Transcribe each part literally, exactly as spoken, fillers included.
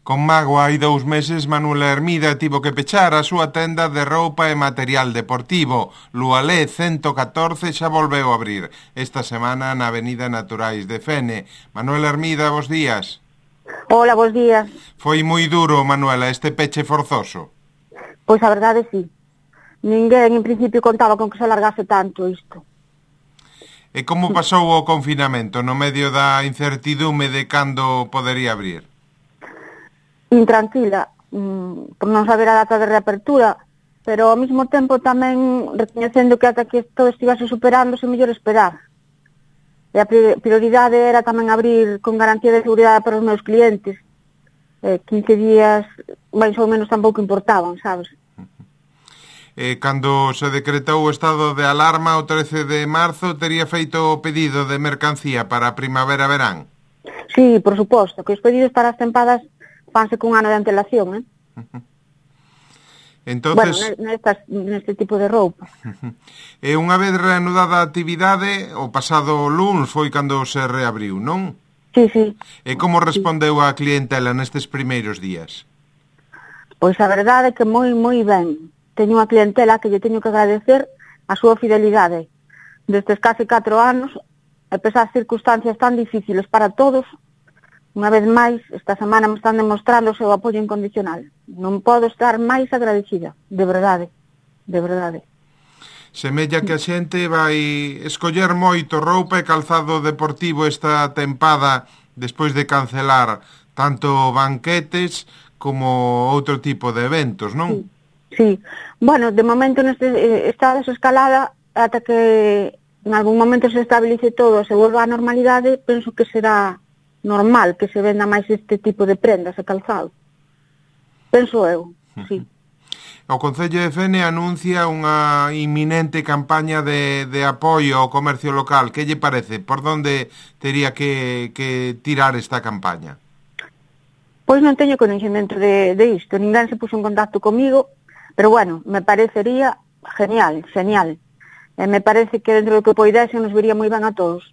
Con mágoa hai dous meses, Manuela Hermida tivo que pechar a súa tenda de roupa e material deportivo. Lualé ciento catorce xa volveu a abrir esta semana na Avenida Naturais de Fene. Manuela Hermida, bos días. Hola, bos días. Foi moi duro, Manuela, este peche forzoso. Pois a verdade sí. Ninguén en principio contaba con que se alargase tanto isto. E como pasou o confinamento no medio da incertidume de cando podería abrir? Intranquila, mmm, por non saber a data de reapertura, pero ao mesmo tempo tamén recoñecendo que ata que todo estivase superándose, mellor esperar. E a prioridade era tamén abrir con garantía de seguridade para os meus clientes. Eh, quince días, máis ou menos, tampouco importaban, sabes? E cando se decretou o estado de alarma o trece de marzo, tería feito o pedido de mercancía para a primavera-verán? Sí, por suposto, que os pedidos para as tempadas fanse cun ano de antelación, eh? Entonces, bueno, nestas, neste tipo de roupa. E unha vez reanudada a actividade, o pasado luns foi cando se reabriu, non? Sí, sí. E como respondeu a clientela nestes primeiros días? Pois a verdade é que moi, moi ben. Teño unha clientela que lle teño que agradecer a súa fidelidade. Destes case catro anos, a pesar das circunstancias tan difíciles para todos, unha vez máis, esta semana me están demostrando o seu apoio incondicional. Non podo estar máis agradecida, de verdade, de verdade. Semella que a xente vai escoller moito roupa e calzado deportivo esta tempada despois de cancelar tanto banquetes como outro tipo de eventos, non? Sí, sí. Bueno, de momento neste eh, está desescalada ata que en algún momento se estabilice todo, se volva á normalidade, penso que será normal que se venda máis este tipo de prendas e calzado. Penso eu, sí. O Concello de Fene anuncia unha inminente campaña de, de apoio ao comercio local. Que lle parece? Por onde tería que, que tirar esta campaña? Pois non teño conhecimento de, de isto. Ninguén se puxo en contacto comigo, pero bueno, me parecería genial, genial. E me parece que dentro do que poidese nos viría moi ben a todos.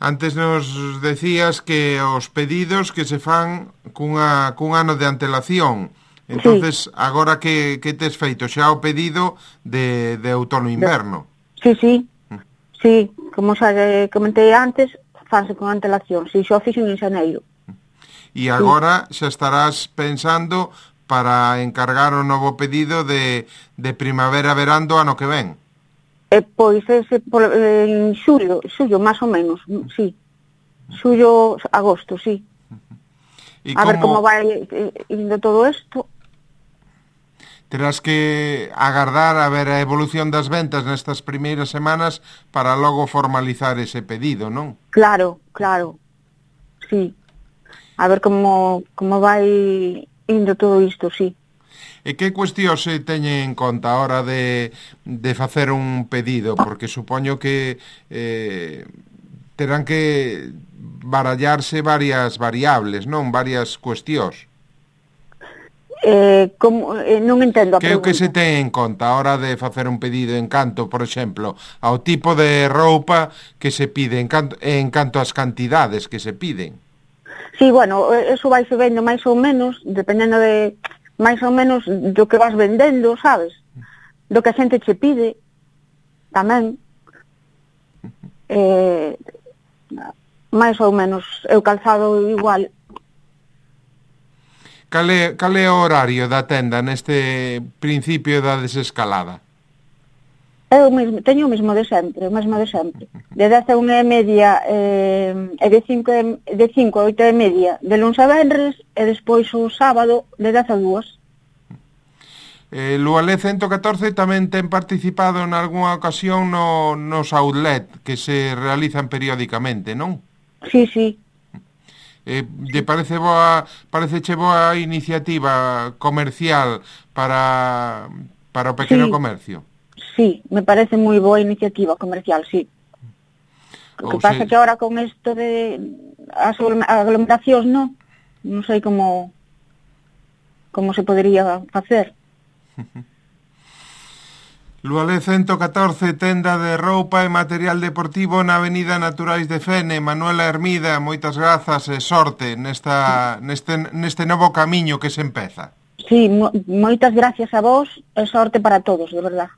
Antes nos decías que os pedidos que se fan cunha, cun ano de antelación. Entonces, sí. Agora que, que tes feito xa o pedido de, de outono-inverno. Sí, sí, sí, como xa comentei antes, fanse con antelación. Si, xa o fixen en xaneiro. E agora sí. Xa estarás pensando para encargar o novo pedido de, de primavera-verán do ano que ven. Eh, pois ese por, eh, en xullo, xullo máis ou menos, sí. Xullo, agosto, sí. E a como... ver como vai eh, indo todo isto. Terás que agardar a ver a evolución das ventas nestas primeiras semanas para logo formalizar ese pedido, non? Claro, claro, sí. A ver como, como vai indo todo isto, sí. E que cuestión se teñen en conta a hora de, de facer un pedido? Porque supoño que eh, terán que barallarse varias variables, non? Varias cuestións. Eh, como, eh, non entendo a que pregunta. Que se ten en conta a hora de facer un pedido en canto, por exemplo, ao tipo de roupa que se pide, en canto, en canto ás cantidades que se piden? Sí, bueno, eso vai se vendo máis ou menos, dependendo de máis ou menos do que vas vendendo, sabes? Do que a xente che pide, tamén. Eh, máis ou menos, eu calzado igual. Cal é, cal é o horario da tenda neste principio da desescalada? Eu mesmo, teño o mesmo de sempre, o mesmo de sempre. De dez a unha e media eh, e de cinco, de cinco a oito e media de luns a venres e despois o sábado de dez a dúas. Eh, Lualé ciento catorce tamén ten participado en algunha ocasión no, nos outlet que se realizan periódicamente, non? Sí, sí. Eh, lle parece boa, pareceche boa iniciativa comercial para, para o pequeno sí. Comercio? Sí, me parece moi boa iniciativa comercial, sí. O que pasa se... que ahora con isto de as aglomeracións, non? Non sei como como se podería facer. Lualé ciento catorce, tenda de roupa e material deportivo na Avenida Naturais de Fene. Manuela Hermida, moitas grazas e sorte nesta, neste, neste novo camiño que se empeza. Sí, mo moitas gracias a vos e sorte para todos, de verdad.